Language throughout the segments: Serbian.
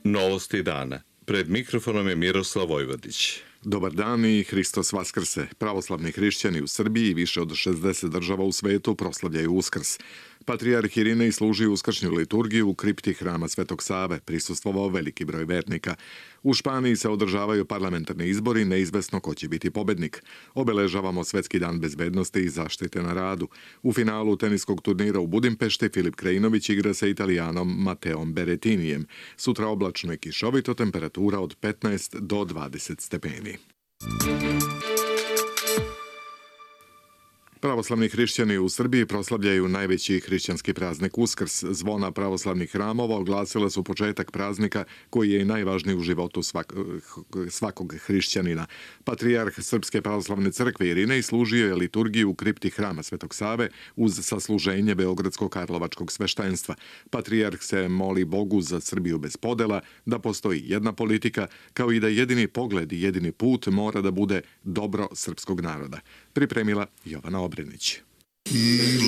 Novosti dana. Pred mikrofonom je Miroslav Vojvodić. Dobar dan i Hristos Vaskrse. Pravoslavni hrišćani u Srbiji i više od 60 država u svetu proslavljaju Uskrs. Patrijarh Irinej služi uskršnju liturgiju u kripti hrama Svetog Save, prisustvovao veliki broj vernika. U Španiji se održavaju parlamentarni izbori, neizvesno ko će biti pobednik. Obeležavamo Svetski dan bezbednosti i zaštite na radu. U finalu teniskog turnira u Budimpešti Filip Krajinović igra sa Italijanom Mateom Berettinijem. Sutra oblačno i kišovito, temperatura od 15 do 20 stepeni. Pravoslavni hrišćani u Srbiji proslavljaju najveći hrišćanski praznik Uskrs. Zvona pravoslavnih hramova oglasila su početak praznika koji je i najvažniji u životu svakog hrišćanina. Patrijarh Srpske pravoslavne crkve Irinej služio je liturgiju u kripti hrama Svetog Save uz sasluženje Beogradsko-Karlovačkog sveštenstva. Patrijarh se moli Bogu za Srbiju bez podela, da postoji jedna politika, kao i da jedini pogled i jedini put mora da bude dobro srpskog naroda. Pripremila Jovana Obrenić.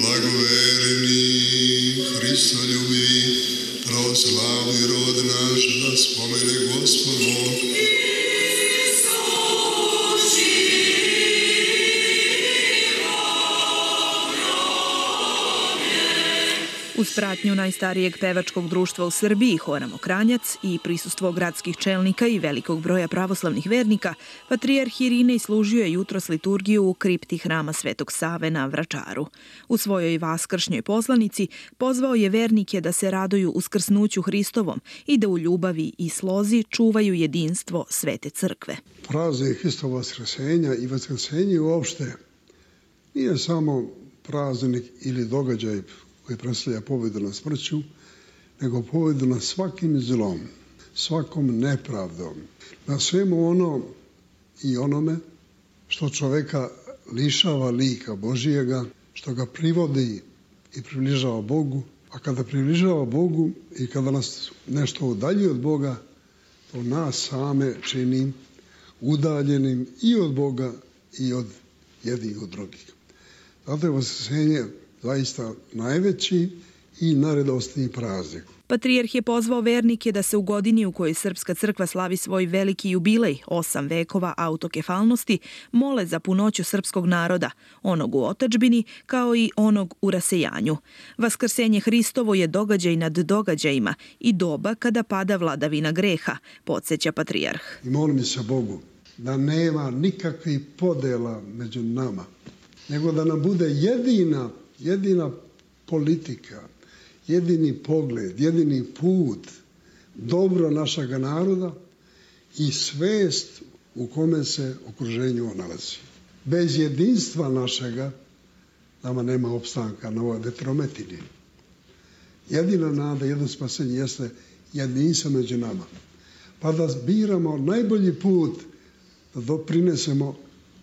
Blagovereni, Hristoljubi, pravoslavni rod naš, da spomene Gospod Bog. Uz pratnju najstarijeg pevačkog društva u Srbiji, Hora Mokranjac, i prisustvo gradskih čelnika i velikog broja pravoslavnih vernika, Patrijarh Irinej služio je jutros liturgiju u kripti hrama Svetog Save na Vračaru. U svojoj vaskršnjoj poslanici pozvao je vernike da se raduju uskrsnuću Hristovom i da u ljubavi i slozi čuvaju jedinstvo Svete Crkve. Praznik Hristova vaskrsenja i vaskrsenje uopšte nije samo praznik ili događaj koji predstavlja pobjedu nad smrću, nego pobjedu nad svakim zlom, svakom nepravdom, na svemu ono i onome što čoveka lišava lika Božijega, što ga privodi i približava Bogu, a kada približava Bogu i kada nas nešto udaljuje od Boga, to nas same čini udaljenim i od Boga i od jednih od drugih. Zato je vaskrsenje zaista najveći i najradosniji praznik. Patrijarh je pozvao vernike da se u godini u kojoj Srpska crkva slavi svoj veliki jubilej, 8 vekova autokefalnosti, mole za punoću srpskog naroda, onog u otadžbini kao i onog u rasejanju. Vaskrsenje Hristovo je događaj nad događajima i doba kada pada vladavina greha, podsjeća patrijarh. I molim se Bogu da nema nikakvih podela među nama, nego da nam bude jedina politika, jedini pogled, jedini put, dobro našega naroda i svest u kome se okruženju nalazi. Bez jedinstva našega nama nema opstanka na ovoj vetrometini. Jedina nada, jedno spasenje jeste jedinstvo među nama. Pa da biramo najbolji put da doprinesemo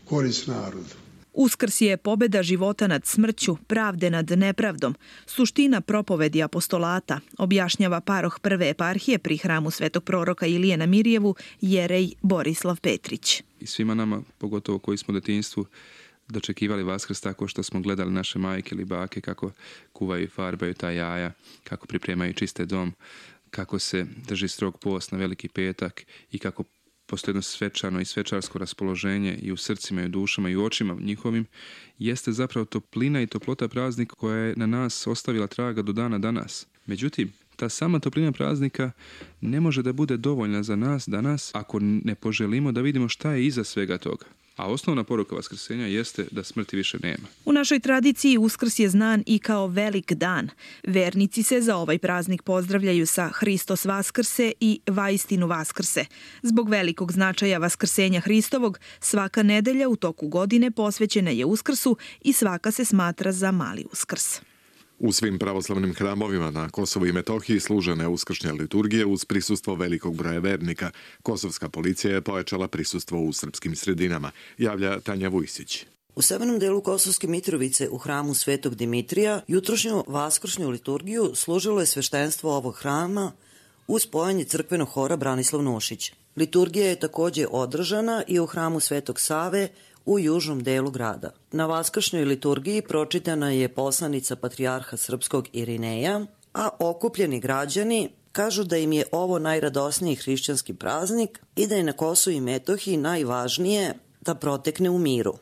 korist narodu. Uskrs je pobeda života nad smrću, pravde nad nepravdom, suština propovedi apostolata, objašnjava paroh prve eparhije pri hramu Svetog proroka Ilije na Mirjevu, jerej Borislav Petrić. I svima nama, pogotovo koji smo u detinjstvu dočekivali Vaskrs tako što smo gledali naše majke ili bake kako kuvaju i farbaju ta jaja, kako pripremaju čiste dom, kako se drži strog post na Veliki petak i kako postoji jedno svečano i svečarsko raspoloženje i u srcima i u dušama i u očima njihovim, jeste zapravo toplina i toplota praznika koja je na nas ostavila traga do dana danas. Međutim, ta sama toplina praznika ne može da bude dovoljna za nas danas ako ne poželimo da vidimo šta je iza svega toga. A osnovna poruka vaskrsenja jeste da smrti više nema. U našoj tradiciji Uskrs je znan i kao velik dan. Vernici se za ovaj praznik pozdravljaju sa Hristos Vaskrse i Vaistinu Vaskrse. Zbog velikog značaja vaskrsenja Hristovog, svaka nedelja u toku godine posvećena je Uskrsu i svaka se smatra za mali Uskrs. U svim pravoslavnim hramovima na Kosovu i Metohiji služene uskršnje liturgije uz prisustvo velikog broja vernika. Kosovska policija je pojačala prisustvo u srpskim sredinama, javlja Tanja Vujsić. U severnom delu Kosovske Mitrovice u hramu Svetog Dimitrija jutrošnju vaskršnju liturgiju služilo je sveštenstvo ovog hrama uz pojanje crkvenog hora Branislav Nušić. Liturgija je također održana i u hramu Svetog Save u južnom delu grada. Na vaskršnjoj liturgiji pročitana je poslanica patrijarha srpskog Irineja, a okupljeni građani kažu da im je ovo najradosniji hrišćanski praznik i da je na Kosovu i Metohiji najvažnije da protekne u miru.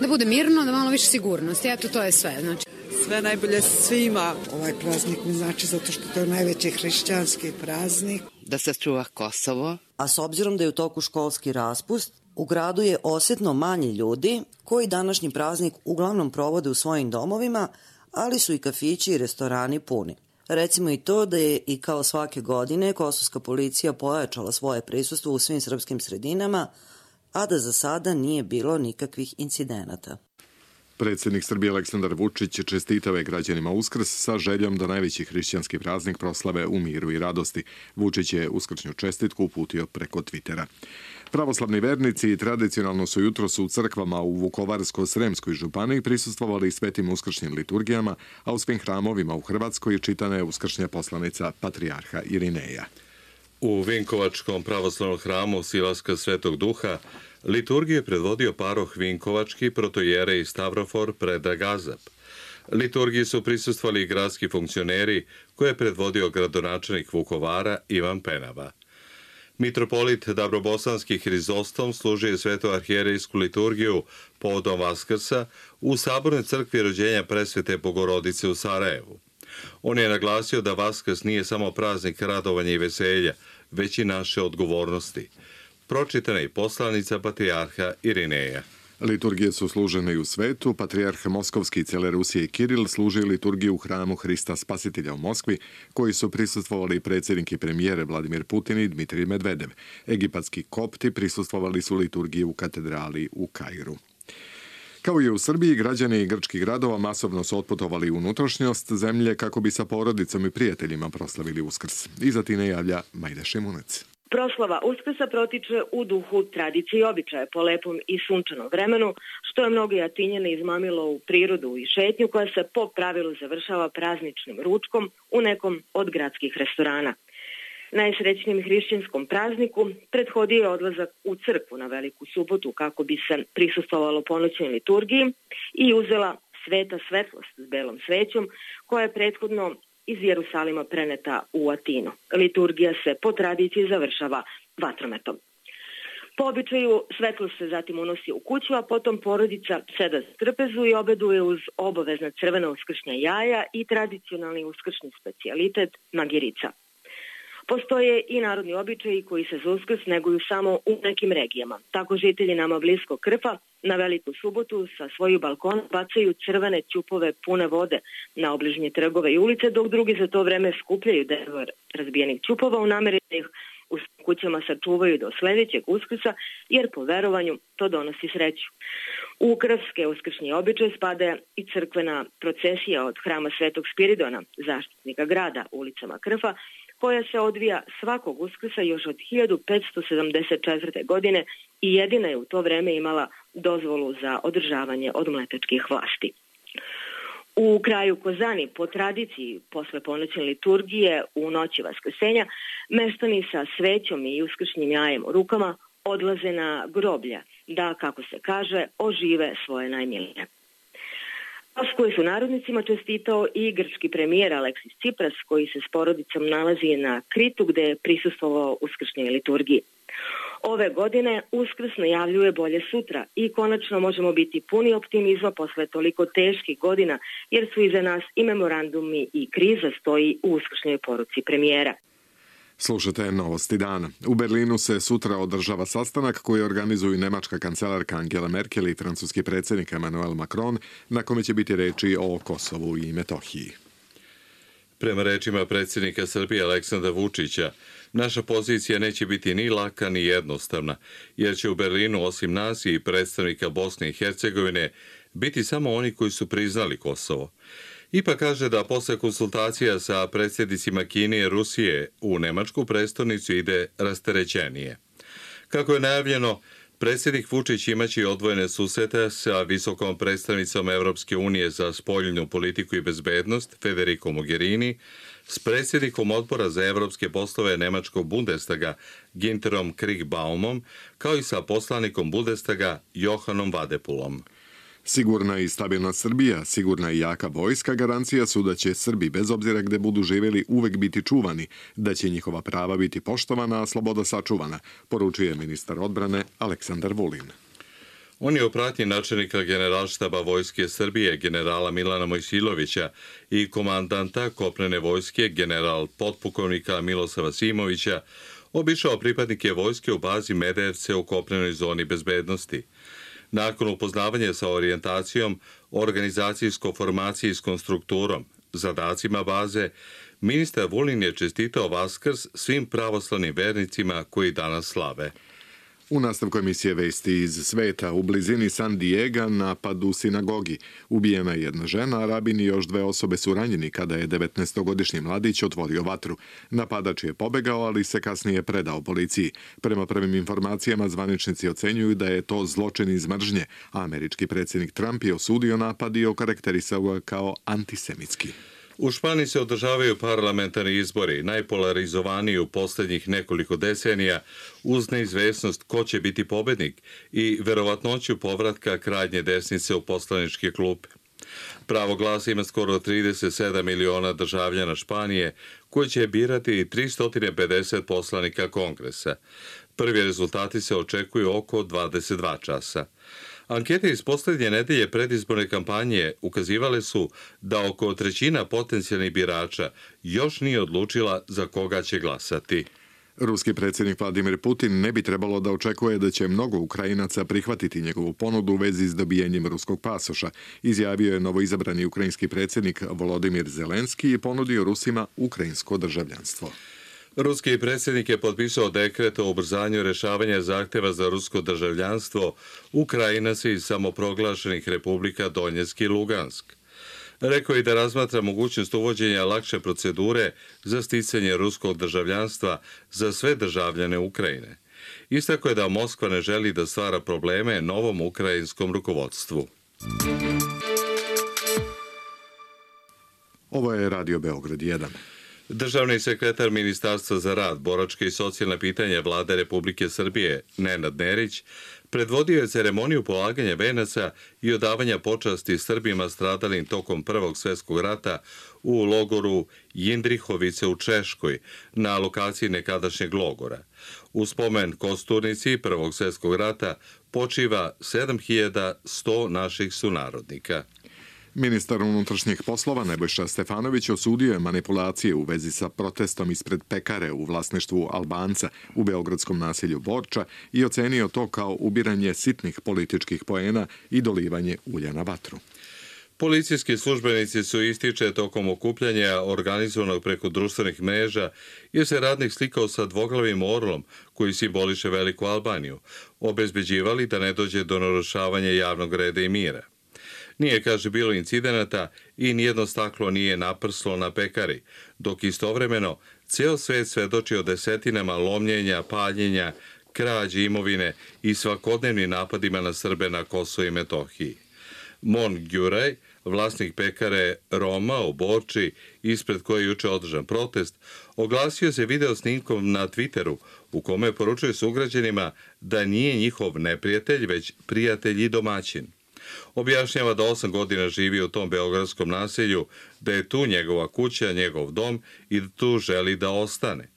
Da bude mirno, da malo više sigurnosti, eto to je sve. Znači. Sve najbolje svima. Ovaj praznik mi znači zato što to je najveći hrišćanski praznik. Da se čuva Kosovo. A s obzirom da je u toku školski raspust, u gradu je osjetno manje ljudi koji današnji praznik uglavnom provode u svojim domovima, ali su i kafići i restorani puni. Recimo i to da je i kao svake godine kosovska policija pojačala svoje prisustvo u svim srpskim sredinama, a da za sada nije bilo nikakvih incidenata. Predsjednik Srbije Aleksandar Vučić čestitao je građanima Uskrs sa željom da najveći hrišćanski praznik proslave u miru i radosti. Vučić je uskršnju čestitku uputio preko Twittera. Pravoslavni vernici tradicionalno su jutros u crkvama u Vukovarsko-Sremskoj županiji prisustvovali svetim uskršnjim liturgijama, a u svim hramovima u Hrvatskoj čitana je uskršnja poslanica patrijarha Irineja. U Vinkovačkom pravoslavnom hramu Silaska Svetog Duha liturgiju je predvodio paroh Vinkovački, protojerej Stavrofor Predrag Gazap. Liturgiji su prisustvovali i gradski funkcioneri koje je predvodio gradonačelnik Vukovara Ivan Penava. Mitropolit Dabrobosanski Hrizostom služio je svetu arhijerejsku liturgiju povodom Vaskrsa u Sabornoj crkvi rođenja Presvete Bogorodice u Sarajevu. On je naglasio da Vaskrs nije samo praznik radovanja i veselja, već i naše odgovornosti. Pročitana je poslanica patrijarha Irineja. Liturgije su služene i u svetu. Patrijarh Moskovski cele Rusije i Kiril služi liturgiju u hramu Hrista Spasitelja u Moskvi, koji su prisustvovali predsjednik i premijere Vladimir Putin i Dmitrij Medvedev. Egipatski kopti prisustvovali su liturgiji u katedrali u Kairu. Kao i u Srbiji, građani grčkih gradova masovno su otputovali u unutrašnjost zemlje kako bi sa porodicom i prijateljima proslavili Uskrs. Iza Tine javlja Majda Šimunec. Proslava Uskrsa protiče u duhu tradicije i običaja po lepom i sunčanom vremenu, što je mnoge Atinjane izmamilo u prirodu i šetnju koja se po pravilu završava prazničnim ručkom u nekom od gradskih restorana. Najsrećnijem hrišćanskom prazniku prethodio je odlazak u crkvu na Veliku subotu kako bi se prisustvovalo ponoćnoj liturgiji i uzela sveta svetlost s belom svećom koja je prethodno iz Jerusalima preneta u Atinu. Liturgija se po tradiciji završava vatrometom. Po običaju svetlost se zatim unosi u kuću, a potom porodica seda za trpezu i obeduje uz obavezna crvena uskršnja jaja i tradicionalni uskršnji specijalitet magirica. Postoje i narodni običaji koji se za Uskrs neguju samo u nekim regijama. Tako žitelji nama bliskog Krfa na Veliku subotu sa svojih balkona bacaju crvene ćupove pune vode na obližnje trgove i ulice, dok drugi za to vreme skupljaju delove razbijenih ćupova u nameri da ih u kućama sačuvaju do sljedećeg Uskrsa, jer po verovanju to donosi sreću. U krfske uskršnje običaje spada i crkvena procesija od hrama Svetog Spiridona, zaštitnika grada, ulicama Krfa, koja se odvija svakog Uskrsa još od 1574. godine i jedina je u to vreme imala dozvolu za održavanje od mletačkih vlasti. U kraju Kozani, po tradiciji, posle ponoćne liturgije u noći Vaskrsenja, meštani sa svećom i uskršnjim jajem u rukama odlaze na groblja da, kako se kaže, ožive svoje najmilije. Koji su narodnicima čestitao i grčki premijer Aleksis Tsipras, koji se s porodicom nalazi na Kritu gde je prisustvovao uskršnjoj liturgiji. Ove godine Uskrs najavljuje bolje sutra i konačno možemo biti puni optimizma posle toliko teških godina, jer su iza nas i memorandumi i kriza stoji u uskršnjoj poruci premijera. Slušate Novosti dana. U Berlinu se sutra održava sastanak koji organizuju nemačka kancelarka Angela Merkel i francuski predsjednik Emmanuel Macron, na kome će biti reči o Kosovu i Metohiji. Prema rečima predsjednika Srbije Aleksandra Vučića, naša pozicija neće biti ni laka ni jednostavna, jer će u Berlinu osim nas i predstavnika Bosne i Hercegovine biti samo oni koji su priznali Kosovo. Ipak kaže da posle konsultacija sa predsjednicima Kine i Rusije u nemačku prestonicu ide rasterećenije. Kako je najavljeno, predsjednik Vučić imaće odvojene susrete sa visokom predstavnicom Evropske unije za spoljnu politiku i bezbednost Federico Mogherini, s predsjednikom odbora za evropske poslove nemačkog Bundestaga Ginterom Kriegbaumom, kao i sa poslanikom Bundestaga Johanom Vadepulom. Sigurna i stabilna Srbija, sigurna i jaka vojska garancija su da će Srbi, bez obzira gde budu živjeli, uvek biti čuvani, da će njihova prava biti poštovana, a sloboda sačuvana, poručuje ministar odbrane Aleksandar Vulin. On je u pratnji načelnika Generalštaba Vojske Srbije, generala Milana Mojsilovića i komandanta kopnene vojske, general potpukovnika Milosava Simovića, obišao pripadnike vojske u bazi Medevce u kopnenoj zoni bezbednosti. Nakon upoznavanja sa orijentacijom, organizacijsko-formacijskom strukturom, zadacima baze, ministar Vulin je čestitao Vaskrs svim pravoslavnim vernicima koji danas slave. U nastavku emisije Vesti iz sveta, u blizini San Diega napad u sinagogi. Ubijena je jedna žena, a rabin i još 2 osobe su ranjeni kada je 19-godišnji mladić otvorio vatru. Napadač je pobegao, ali se kasnije predao policiji. Prema prvim informacijama, zvaničnici ocenjuju da je to zločin iz mržnje, a američki predsjednik Trump je osudio napad i okarakterisao ga kao antisemitski. U Španiji se održavaju parlamentarni izbori, najpolarizovaniji u posljednjih nekoliko decenija, uz neizvesnost ko će biti pobednik i verovatnoću povratka krajnje desnice u poslaničke klupe. Pravo glasa ima skoro 37 miliona državljana Španije, koji će birati 350 poslanika kongresa. Prvi rezultati se očekuju oko 22 časa. Ankete iz posljednje nedelje predizborne kampanje ukazivale su da oko trećina potencijalnih birača još nije odlučila za koga će glasati. Ruski predsjednik Vladimir Putin ne bi trebalo da očekuje da će mnogo Ukrajinaca prihvatiti njegovu ponudu u vezi s dobijenjem ruskog pasoša, izjavio je novoizabrani ukrajinski predsjednik Volodimir Zelenski i ponudio Rusima ukrajinsko državljanstvo. Ruski predsjednik je potpisao dekret o ubrzanju rešavanja zahteva za rusko državljanstvo Ukrajinaca iz samoproglašenih republika Donjeck i Lugansk. Rekao je da razmatra mogućnost uvođenja lakše procedure za sticanje ruskog državljanstva za sve državljane Ukrajine. Istako je da Moskva ne želi da stvara probleme novom ukrajinskom rukovodstvu. Ovo je Radio Beograd 1. Državni sekretar Ministarstva za rad, boračke i socijalne pitanja Vlade Republike Srbije, Nenad Nerić, predvodio je ceremoniju polaganja venaca i odavanja počasti Srbima stradalim tokom Prvog svjetskog rata u logoru Jindrihovice u Češkoj, na lokaciji nekadašnjeg logora. U spomen kosturnici Prvog svjetskog rata počiva 7100 naših sunarodnika. Ministar unutrašnjih poslova Nebojša Stefanović osudio je manipulacije u vezi sa protestom ispred pekare u vlasništvu Albanca u beogradskom naselju Borča i ocenio to kao ubiranje sitnih političkih poena i dolivanje ulja na vatru. Policijski službenici su ističe tokom okupljanja organizovanog preko društvenih mreža jer se radnik slikao sa dvoglavim orlom koji simboliše Veliku Albaniju, obezbeđivali da ne dođe do narušavanja javnog reda i mira. Nije, kaže, bilo incidenata i nijedno staklo nije naprslo na pekari, dok istovremeno ceo svet svedoči o desetinama lomljenja, paljenja, krađe imovine i svakodnevnim napadima na Srbe na Kosovu i Metohiji. Mon Gjuraj, vlasnik pekare Roma u Borči, ispred koje je juče održan protest, oglasio se video snimkom na Twitteru u kome poručuje sugrađanima da nije njihov neprijatelj, već prijatelj i domaćin. Objašnjava da 8 godina živi u tom beogradskom naselju, da je tu njegova kuća, njegov dom i da tu želi da ostane.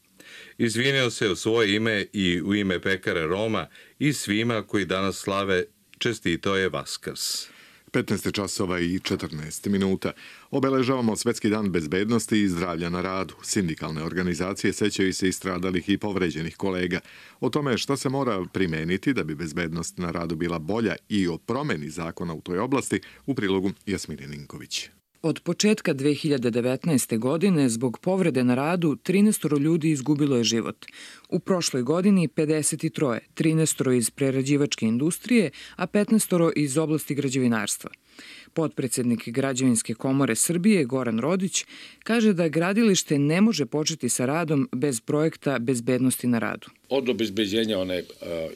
Izvinio se u svoje ime i u ime pekare Roma i svima koji danas slave, čestitao je Vaskrs. 15 časova i 14 minuta. Obeležavamo Svetski dan bezbednosti i zdravlja na radu. Sindikalne organizacije sećaju se i stradalih i povređenih kolega. O tome šta se mora primeniti da bi bezbednost na radu bila bolja i o promeni zakona u toj oblasti u prilogu Jasmine Ninković. Od početka 2019. godine zbog povrede na radu 13 ljudi izgubilo je život. U prošloj godini 53, 13 iz prerađivačke industrije, a 15 iz oblasti građevinarstva. Potpredsednik Građevinske komore Srbije Goran Rodić kaže da gradilište ne može početi sa radom bez projekta bezbednosti na radu. Od obezbeđenja one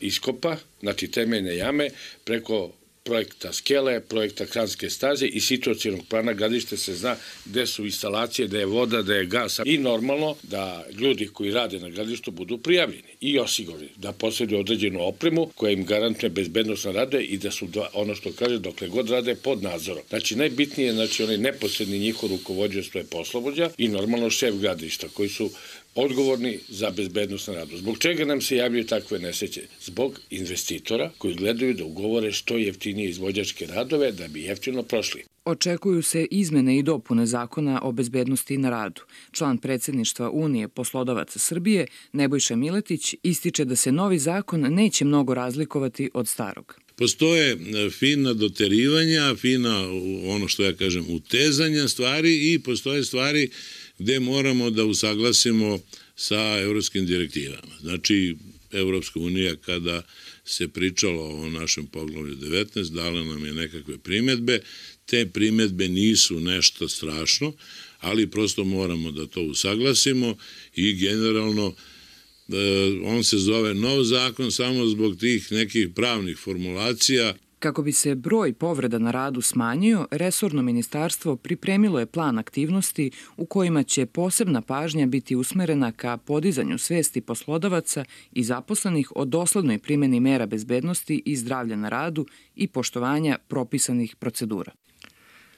iskopa, znači temeljne jame, preko projekta skele, projekta kranske staze i situacionog plana gradilišta se zna gde su instalacije, gde je voda, gde je gas i normalno da ljudi koji rade na gradilištu budu prijavljeni i osigurani, da posjeduju određenu opremu koja im garantuje bezbednost na rade i da su, ono što kaže, dokle god rade pod nadzorom. Znači, najbitnije je onaj neposredni njihov rukovodioc, to je poslovođa i normalno šef gradilišta koji su odgovorni za bezbednost na radu. Zbog čega nam se javljaju takve nesreće? Zbog investitora koji gledaju da ugovore što jeftinije izvođačke radove da bi jeftino prošli. Očekuju se izmene i dopune zakona o bezbednosti na radu. Član predsjedništva Unije poslodavaca Srbije, Nebojša Miletić, ističe da se novi zakon neće mnogo razlikovati od starog. Postoje fina doterivanja, fina, ono što ja kažem, utezanja stvari i postoje stvari gde moramo da usaglasimo sa evropskim direktivama. Znači, Evropska unija kada se pričalo o našem poglavlju 19, dala nam je nekakve primjedbe. Te primjedbe nisu nešto strašno, ali prosto moramo da to usaglasimo i generalno on se zove nov zakon samo zbog tih nekih pravnih formulacija. Kako bi se broj povreda na radu smanjio, resorno ministarstvo pripremilo je plan aktivnosti u kojima će posebna pažnja biti usmerena ka podizanju svesti poslodavaca i zaposlenih o doslednoj primjeni mera bezbednosti i zdravlja na radu i poštovanja propisanih procedura.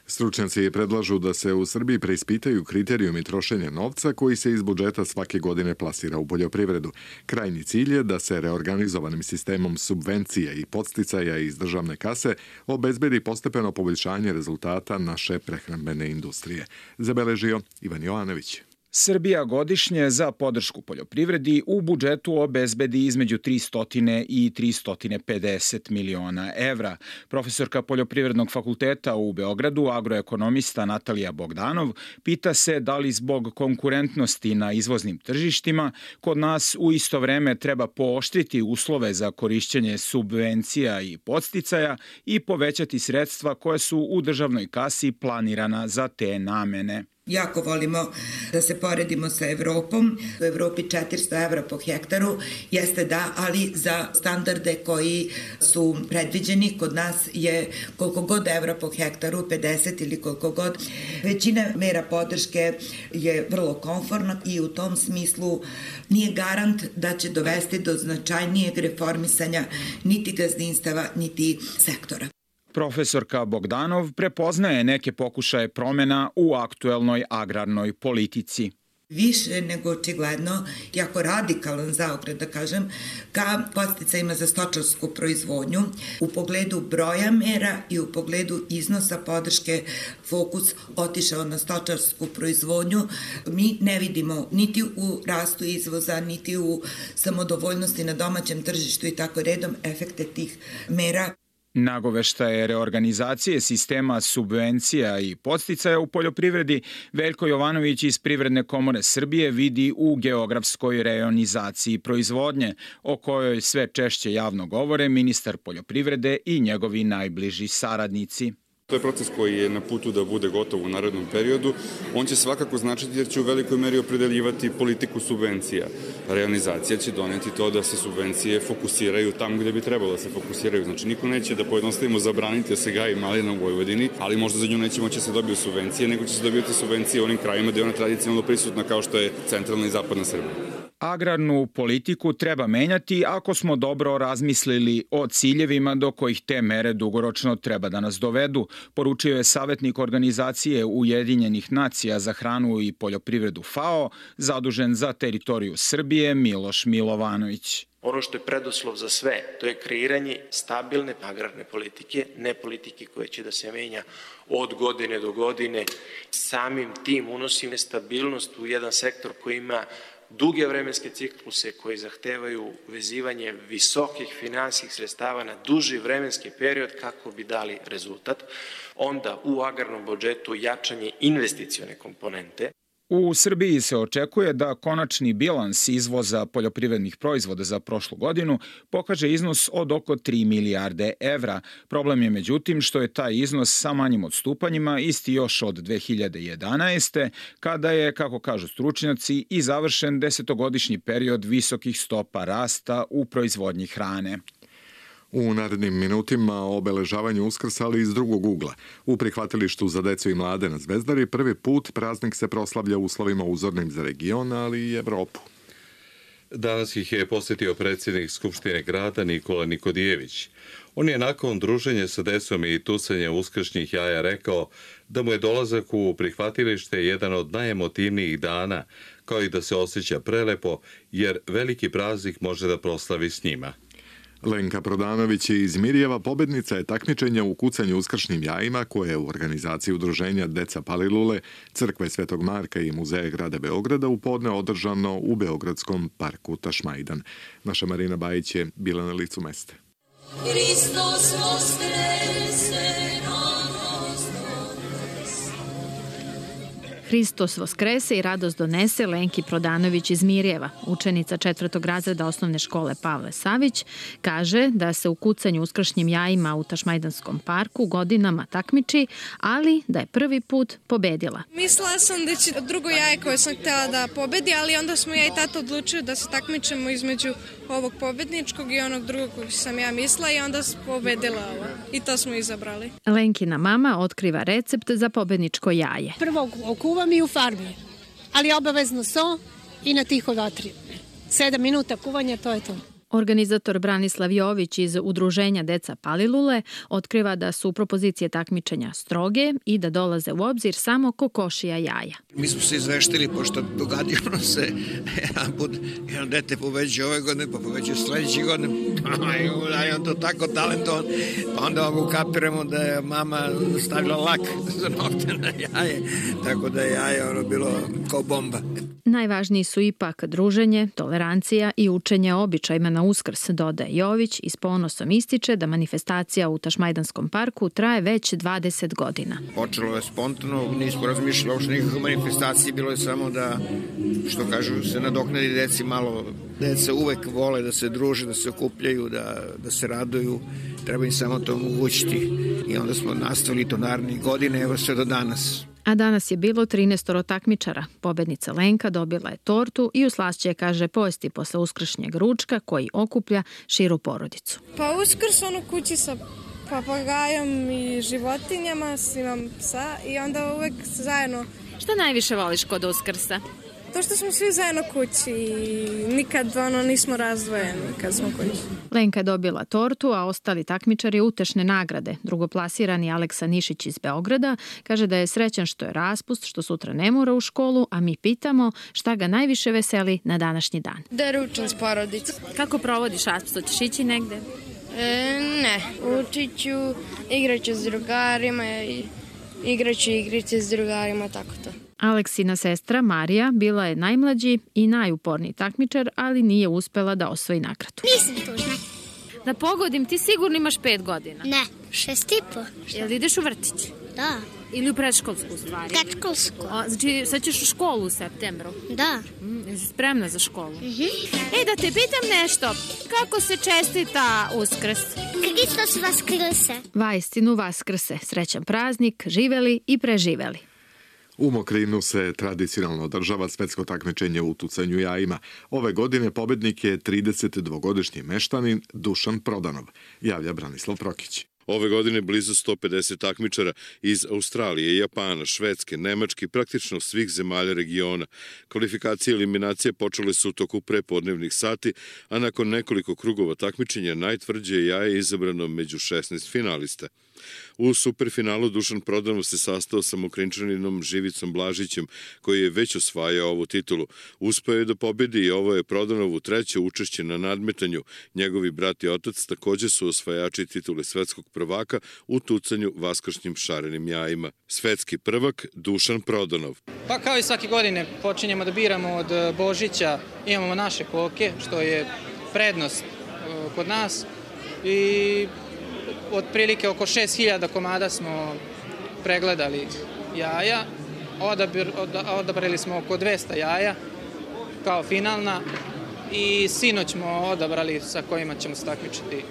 Stručnjaci predlažu da se u Srbiji preispitaju kriterijumi trošenja novca koji se iz budžeta svake godine plasira u poljoprivredu. Krajnji cilj je da se reorganizovanim sistemom subvencija i podsticaja iz državne kase obezbedi postepeno poboljšanje rezultata naše prehrambene industrije. Zabeležio Ivan Jovanović. Srbija godišnje za podršku poljoprivredi u budžetu obezbedi između 300 i 350 miliona evra. Profesorka Poljoprivrednog fakulteta u Beogradu, agroekonomista Natalija Bogdanov, pita se da li zbog konkurentnosti na izvoznim tržištima kod nas u isto vreme treba pooštriti uslove za korišćenje subvencija i podsticaja i povećati sredstva koje su u državnoj kasi planirana za te namene. Jako volimo da se poredimo sa Evropom. U Evropi 400 evra po hektaru jeste da, ali za standarde koji su predviđeni kod nas je koliko god evra po hektaru, 50 ili koliko god. Većina mera podrške je vrlo konforna i u tom smislu nije garant da će dovesti do značajnijeg reformisanja niti gazdinstava, niti sektora. Profesorka Bogdanov prepoznaje neke pokušaje promjena u aktuelnoj agrarnoj politici. Više nego očigledno, jako radikalan zaokret, da kažem, ka podsticajima za stočarsku proizvodnju u pogledu broja mera i u pogledu iznosa podrške fokus otišao na stočarsku proizvodnju. Mi ne vidimo niti u rastu izvoza, niti u samodovoljnosti na domaćem tržištu i tako redom efekte tih mera. Nagoveštaje reorganizacije sistema subvencija i podsticaja u poljoprivredi Veljko Jovanović iz Privredne komore Srbije vidi u geografskoj rejonizaciji proizvodnje, o kojoj sve češće javno govore ministar poljoprivrede i njegovi najbliži saradnici. To je proces koji je na putu da bude gotov u narednom periodu. On će svakako značiti jer će u velikoj meri opredeljivati politiku subvencija. Realizacija će doneti to da se subvencije fokusiraju tamo gde bi trebalo da se fokusiraju. Znači, niko neće da pojednostavimo zabraniti da se gaji malina u Vojvodini, ali možda za nju neće moći se dobiju subvencije, nego će se dobiti subvencije u onim krajima gde je ona tradicionalno prisutna kao što je centralna i zapadna Srbija. Agrarnu politiku treba menjati ako smo dobro razmislili o ciljevima do kojih te mere dugoročno treba da nas dovedu, poručio je savjetnik organizacije Ujedinjenih nacija za hranu i poljoprivredu FAO, zadužen za teritoriju Srbije Miloš Milovanović. Ono što je preduslov za sve, to je kreiranje stabilne agrarne politike, ne politike koje će da se menja od godine do godine. Samim tim unosi nestabilnost u jedan sektor koji ima duge vremenske cikluse koji zahtevaju vezivanje visokih finansijskih sredstava na duži vremenski period kako bi dali rezultat. Onda u agrarnom budžetu jačanje investicione komponente. U Srbiji se očekuje da konačni bilans izvoza poljoprivrednih proizvoda za prošlu godinu pokaže iznos od oko 3 milijarde evra. Problem je međutim što je taj iznos sa manjim odstupanjima isti još od 2011. kada je, kako kažu stručnjaci, i završen 10-godišnji period visokih stopa rasta u proizvodnji hrane. U narednim minutima o obeležavanju Uskrsa, ali iz drugog ugla. U prihvatilištu za decu i mlade na Zvezdari prvi put praznik se proslavlja u uslovima uzornim za region, ali i Evropu. Danas ih je posjetio predsjednik Skupštine grada Nikola Nikodijević. On je nakon druženja sa decom i tucanja uskršnjih jaja rekao da mu je dolazak u prihvatilište jedan od najemotivnijih dana, kao i da se osjeća prelepo, jer veliki praznik može da proslavi s njima. Lenka Prodanović iz Mirjeva pobednica je takmičenja u kucanju uskršnjim jajima koje je u organizaciji udruženja Deca Palilule, Crkve Svetog Marka i Muzeja grada Beograda u podne održano u Beogradskom parku Tašmajdan. Naša Marina Bajić je bila na licu mesta. Hristos voskrese, Hristos voskrese i radost donese Lenki Prodanović iz Mirjeva. Učenica 4. razreda osnovne škole Pavle Savić kaže da se u kucanju uskršnjim jajima u Tašmajdanskom parku godinama takmiči, ali da je prvi put pobedila. Mislila sam da će drugo jaje koje sam htjela da pobedi, ali onda smo ja i tata odlučili da se takmičemo između ovog pobedničkog i onog drugog koji sam ja mislila i onda sam pobedila ovo. I to smo izabrali. Lenkina mama otkriva recept za pobedničko jaje. Prvo okuvam i u farbi, ali obavezno so i na tiho vatri. 7 minuta kuvanja, to je to. Organizator Branislav Jović iz udruženja Deca Palilule otkriva da su propozicije takmičenja stroge i da dolaze u obzir samo kokošija jaja. Mi smo se izveštili, pošto dogadilo se jedno dete poveđe ove godine, pa poveđe sljedeće godine. Da je on to tako talentovan. Pa onda ukapiramo da je mama stavila lak za nokte na jaje, tako da je jaje bilo kao bomba. Najvažniji su ipak druženje, tolerancija i učenje običajima na Uskrs, dodaje Jović i s ponosom ističe da manifestacija u Tašmajdanskom parku traje već 20 godina. Počelo je spontano, nismo razmišljali uopšte nikakve manifestacije, bilo je samo da, što kažu, se nadoknadi deci malo. Deca uvek vole da se druže, da se okupljaju, da se raduju, treba im samo to omogućiti. I onda smo nastavili to narednih godine, evo sve do danas. A danas je bilo 13 takmičara. Pobednica Lenka dobila je tortu i u slašće, kaže, pojesti posle uskršnjeg ručka koji okuplja širu porodicu. Pa Uskrs kući sa papagajom i životinjama, imam psa i onda uvek zajedno. Šta najviše voliš kod Uskrsa? To što smo svi zajedno kući i nikad nismo razdvojeni kad smo kući. Lenka je dobila tortu, a ostali takmičari utešne nagrade. Drugoplasirani Aleksa Nišić iz Beograda kaže da je srećan što je raspust, što sutra ne mora u školu, a mi pitamo šta ga najviše veseli na današnji dan. Da ručam s porodicom. Kako provodiš raspust? Hoćeš ići negde? Ne, učit ću, igraću s drugarima i igraću igrice s drugarima, tako to. Aleksina sestra Marija bila je najmlađi i najuporniji takmičar, ali nije uspela da osvoji nagradu. Nisam tužna. Da pogodim, ti sigurno imaš 5 godina. Ne, 6,5. Jel ideš u vrtić? Da. Ili u predškolsku stvari? Predškolsku. Znači, sad ćeš u školu u septembru? Da. Jesi spremna za školu? Da te pitam nešto. Kako se čestita Uskrs? Hristos vaskrse. Vaistinu vaskrse. Srećan praznik, živeli i preživeli. U Mokrinu se tradicionalno održava svetsko takmičenje u tucanju jajima. Ove godine pobednik je 32-godišnji meštanin Dušan Prodanov, javlja Branislav Prokić. Ove godine blizu 150 takmičara iz Australije, Japana, Švedske, Nemačke i praktično svih zemalja regiona. Kvalifikacije i eliminacije počele su u toku prepodnevnih sati, a nakon nekoliko krugova takmičenja najtvrđe jaje je izabrano među 16 finalista. U superfinalu Dušan Prodanov se sastao sa Mokrinčaninom Živicom Blažićem, koji je već osvajao ovu titulu. Uspeo je da pobedi i ovo je Prodanovu treće učešće na nadmetanju. Njegovi brat i otac također su osvajači titule svetskog prvaka u tucanju vaskršnjim šarenim jajima. Svetski prvak Dušan Prodanov. Pa kao i svake godine počinjemo da biramo od Božića, imamo naše koke, što je prednost kod nas i otprilike oko 6000 komada smo pregledali jaja, odabrali smo oko 200 jaja kao finalna i sinoć smo odabrali sa kojima ćemo se takmičiti.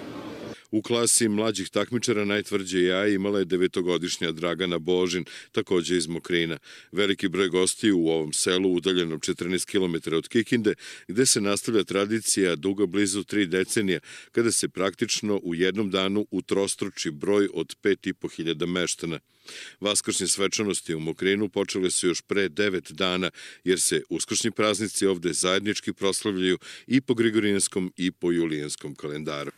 U klasi mlađih takmičara najtvrđe jaje imala je 9-godišnja Dragana Božin, takođe iz Mokrina. Veliki broj gostiju u ovom selu, udaljenom 14 km od Kikinde, gde se nastavlja tradicija duga blizu 3 decenija, kada se praktično u jednom danu utrostruči broj od 5.500 meštana. Vaskršnje svečanosti u Mokrinu počele su još pre 9 dana, jer se uskršnji praznici ovde zajednički proslavljaju i po Grigorijanskom i po Julijanskom kalendaru.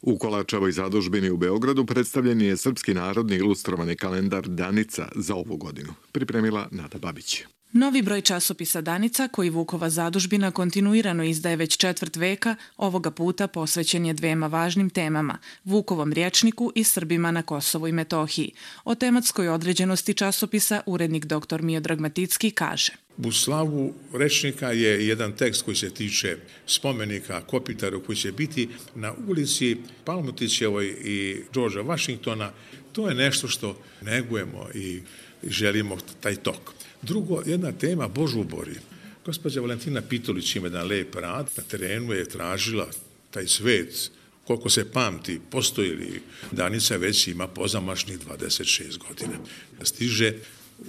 U Kolačevoj zadužbini u Beogradu predstavljen je srpski narodni ilustrovani kalendar Danica za ovu godinu. Pripremila Nada Babić. Novi broj časopisa Danica, koji Vukova zadužbina kontinuirano izdaje već 4 veka, ovoga puta posvećen je dvema važnim temama, Vukovom rječniku i Srbima na Kosovu i Metohiji. O tematskoj određenosti časopisa urednik dr. Miodrag Maticki kaže: U slavu rečnika je jedan tekst koji se tiče spomenika Kopitaru koji će biti na ulici Palmutićevoj i Đorđa Vašingtona. To je nešto što negujemo i želimo taj tok. Drugo, jedna tema Božubori. Gospođa Valentina Pitolić ima jedan lep rad. Na terenu je tražila taj svet, koliko se pamti, postoji li. Danica već ima pozamašnih 26 godina. Stiže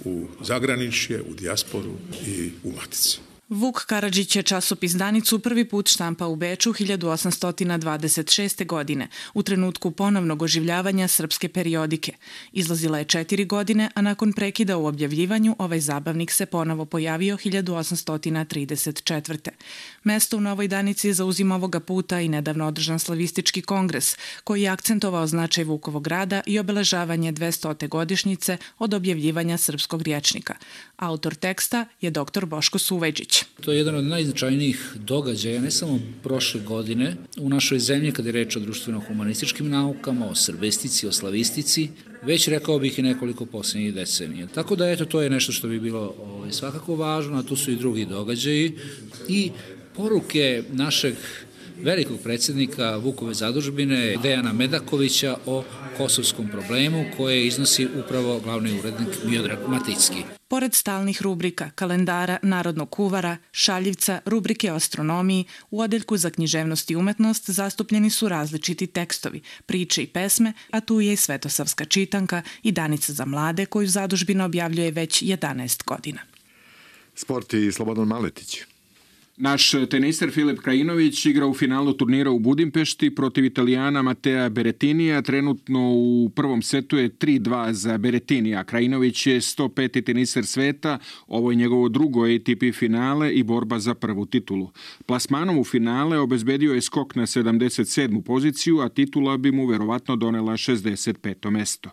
u zagraničje, u dijasporu i u matici. Vuk Karadžić je časopis Danicu prvi put štampa u Beču 1826. godine, u trenutku ponovnog oživljavanja srpske periodike. Izlazila je 4 godine, a nakon prekida u objavljivanju ovaj zabavnik se ponovo pojavio 1834. Mesto u Novoj Danici zauzima ovoga puta i nedavno održan slavistički kongres, koji je akcentovao značaj Vukovog rada i obeležavanje 200. godišnjice od objavljivanja srpskog rječnika. Autor teksta je dr. Boško Suvejđić. To je jedan od najznačajnijih događaja, ne samo prošle godine, u našoj zemlji kada je reč o društveno-humanističkim naukama, o srbestici, o slavistici, već rekao bih i nekoliko posljednjih decenija. Tako da eto, to je nešto što bi bilo svakako važno, a tu su i drugi događaji i poruke našeg velikog predsjednika Vukove zadužbine Dejana Medakovića o kosovskom problemu koje iznosi upravo glavni urednik Miodrag Maticki. Pored stalnih rubrika, kalendara, narodnog kuvara, šaljivca, rubrike o astronomiji, u odeljku za književnost i umetnost zastupljeni su različiti tekstovi, priče i pesme, a tu je i svetosavska čitanka i Danica za mlade koju zadužbina objavljuje već 11 godina. Sport i Slobodan Maletić. Naš teniser Filip Krajinović igra u finalu turnira u Budimpešti protiv Italijana Matea Berettinija. Trenutno u prvom setu je 3-2 za Berettinija. Krajinović je 105. teniser sveta, ovo je njegovo drugo ATP finale i borba za prvu titulu. Plasmanom u finale obezbedio je skok na 77. poziciju, a titula bi mu verovatno donela 65. mesto.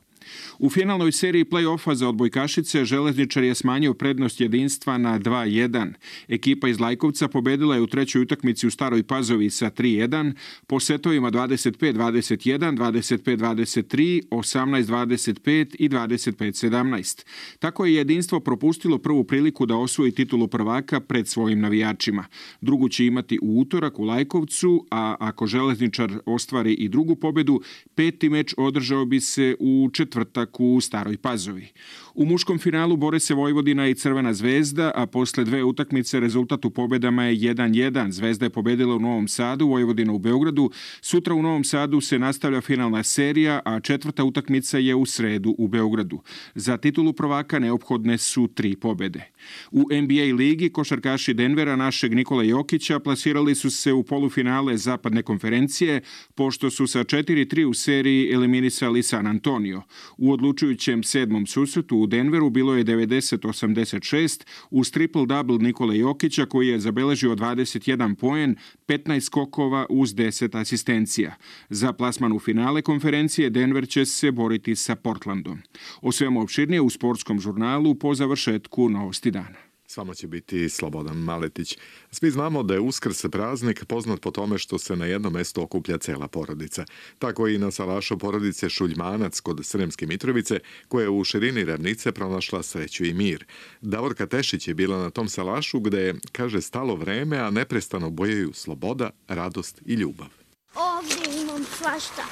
U finalnoj seriji play-offa za odbojkašice Železničar je smanjio prednost jedinstva na 2-1. Ekipa iz Lajkovca pobedila je u trećoj utakmici u Staroj Pazovi sa 3-1, po setovima 25-21, 25-23, 18-25 i 25-17. Tako je jedinstvo propustilo prvu priliku da osvoji titulu prvaka pred svojim navijačima. Drugu će imati u utorak u Lajkovcu, a ako Železničar ostvari i drugu pobedu, peti meč održao bi se u četvrtak u Staroj Pazovi. U muškom finalu bore se Vojvodina i Crvena zvezda, a posle dve utakmice rezultat u pobedama je 1-1. Zvezda je pobedila u Novom Sadu, Vojvodina u Beogradu. Sutra u Novom Sadu se nastavlja finalna serija, a četvrta utakmica je u sredu u Beogradu. Za titulu prvaka neophodne su 3 pobede. U NBA ligi košarkaši Denvera našeg Nikola Jokića plasirali su se u polufinale zapadne konferencije, pošto su sa 4-3 u seriji eliminisali San Antonio. U odlučujućem 7. susretu u Denveru bilo je 90-86 uz triple-double Nikole Jokića koji je zabeležio 21 poen, 15 skokova uz 10 asistencija. Za plasman u finale konferencije Denver će se boriti sa Portlandom. O svemu opširnije u sportskom žurnalu po završetku Novosti dana. S vama će biti Slobodan Maletić. Svi znamo da je Uskrs praznik poznat po tome što se na jednom mestu okuplja cela porodica. Tako i na salašu porodice Šuljmanac kod Sremske Mitrovice, koja je u širini ravnice pronašla sreću i mir. Davorka Tešić je bila na tom salašu gde je, kaže, stalo vreme, a neprestano bojaju sloboda, radost i ljubav. Ovdje imam svašta.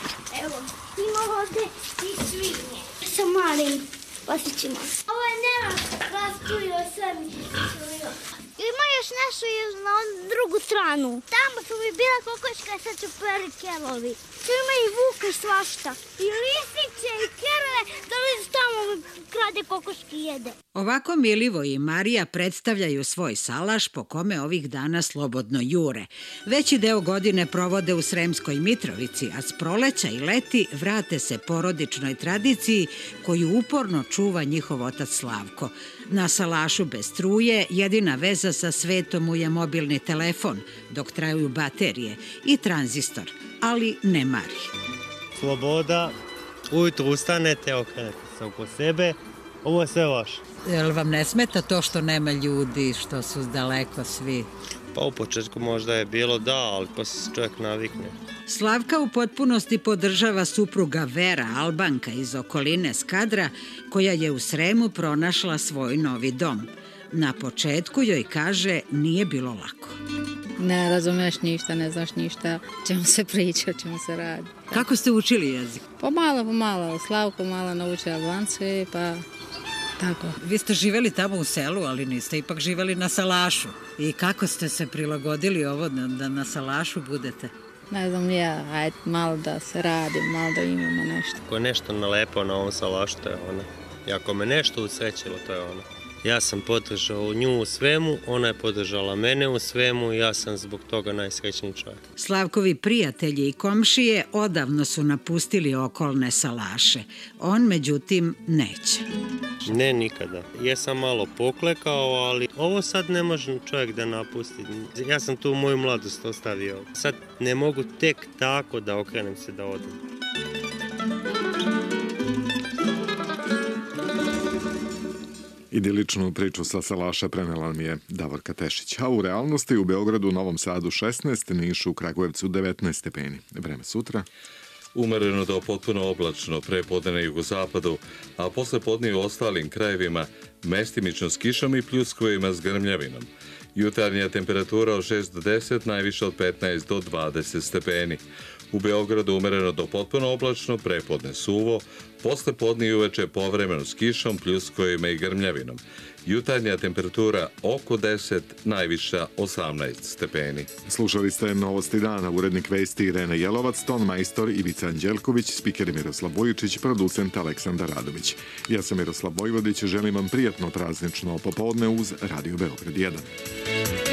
Evo, imam ovdje i svinje. Sa malim pasićima. Ovo je Nela rasturio sve mi se čurio. Ima još nešto još na drugu stranu. Tamo su mi bila kokoška, sad su prvi kelovi. Tu ima i vuka i svašta. I lisiće i kerove, dolazi tamo krade kokoški jede. Ovako Milivo i Marija predstavljaju svoj salaš po kome ovih dana slobodno jure. Veći deo godine provode u Sremskoj Mitrovici, a s proleća i leti vrate se porodičnoj tradiciji koju uporno čuva njihov otac Slavko. Na salašu bez struje jedina veza sa svetom mu je mobilni telefon, dok traju baterije i tranzistor, ali ne mari. Sloboda, ujutru ustanete, okrenete se oko sebe, ovo je sve vaše. Jel vam ne smeta to što nema ljudi, što su daleko svi? Pa u početku možda je bilo da, ali posle se čovjek navikne. Slavka u potpunosti podržava supruga Vera, Albanka iz okoline Skadra, koja je u Sremu pronašla svoj novi dom. Na početku joj kaže nije bilo lako. Ne razumeš ništa, ne znaš ništa, čemu se priča, o čemu se radi. Kako ste učili jezik? Pomalo. Slavko malo nauči albanski, pa tako. Vi ste živeli tamo u selu, ali niste ipak živeli na salašu. I kako ste se prilagodili ovo da na salašu budete? Ne znam ja, ajde malo da se radi, malo da imamo nešto. Ako je nešto nalepo na ovom salašu, to je ono. I ako me nešto usrećilo, to je ono. Ja sam podržao nju u svemu, ona je podržala mene u svemu i ja sam zbog toga najsrećniji čovjek. Slavkovi prijatelji i komšije odavno su napustili okolne salaše. On, međutim, neće. Ne, nikada. Ja sam malo poklekao, ali ovo sad ne može čovjek da napusti. Ja sam tu moju mladost ostavio. Sad ne mogu tek tako da okrenem se da odem. Idiličnu priču sa salaša prenela mi je Davorka Tešić. A u realnosti u Beogradu, Novom Sadu 16, Nišu, Kragujevcu 19 stepeni. Vreme sutra. Umereno do potpuno oblačno prepodne na jugozapadu, a posle podne u ostalim krajevima mestimično s kišom i pljuskovima s grmljavinom. Jutarnja temperatura od 6 do 10, najviše od 15 do 20 stepeni. U Beogradu umereno do potpuno oblačno, prepodne suvo, posle podne i uveče povremeno s kišom, pljuskovima i grmljavinom. Jutarnja temperatura oko 10, najviša 18 stepeni. Slušali ste Novosti dana, urednik vesti Irena Jelovac, ton majstor Ivica Anđelković, spiker Miroslav Vujičić, producent Aleksandar Radović. Ja sam Miroslav Vojvodić, želim vam prijatno praznično popodne uz Radio Beograd 1.